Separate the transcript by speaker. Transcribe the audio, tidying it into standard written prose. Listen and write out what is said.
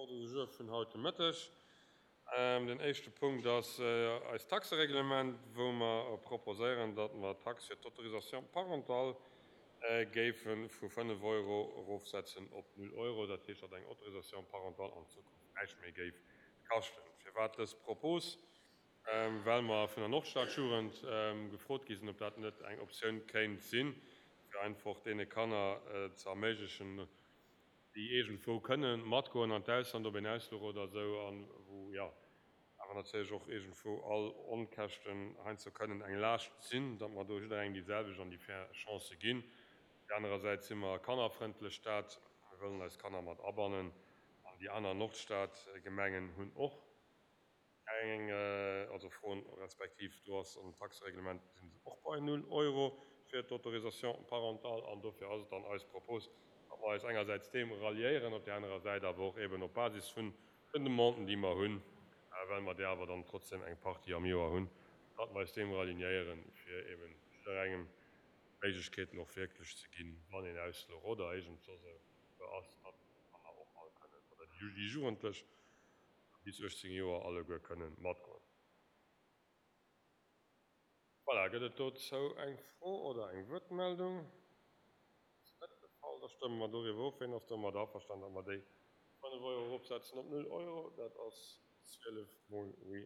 Speaker 1: Ordre du jour vun haut de Mëtteg. Den éischte Punkt ass eist Taxereglement, wou mer proposéieren, datt mer d'Tax fir d'Autorisation parentale géife vu 5 Euro erofsetzen op 0 Euro. Dat heescht, datt eng Autorisation parentale an Zukunft näischt méi géif kaschten. Firwat dës Propos? Well mer vun der Nordstadjugend gefrot gi sinn, ob dat net eng Optioun kéint sinn, fir einfach deene Kanner ze erméiglechen, déi iergendwou kënne matgoen an d'Ausland op een Ausfluch oder esou an wou, jo, awer natierlech och iergendwou all Onkäschten heiansdo kënnen eng Laascht sinn, datt mer do jidderengem déi selwecht an déi fair Chancë ginn. Op där anerer Säit si mer e kannerfrëndlech Stad, mir wëllen eis Kanner mat abannen an déi aner Nordstadgemengen hunn och Eng, also Froen, respektiv do ass am Taxereglement sinn se och bei null Euro fir d'Autorisation parentale an dofir ass et dann eis Propos, datt mer eis engersäits deem ralliéieren, op där anerer Säit awer och eben op Basis vun den Demanden, déi mer hunn, well mer där awer dann trotzdem eng Partie am Joer hunn, datt mer eis deem ralignéieren, fir eben jidderengem d'Méiglechkeeten och wierklech ze ginn, wann een Ausfluch oder iergend soss e ass, datt d'Kanner och all kënnen oder déi Jugendlech bis 18 Joer alleguer kënnen matgoen. Voilà, gëtt et dozou eng Fro oder eng Wuertmeldung? Ass net de Fall. Da stëmme mer doriwwer of. Ween ass domat averstanen, datt mer déi 5 Euro eropsetzen op 0 Euro? Dat ass 12 mol oui.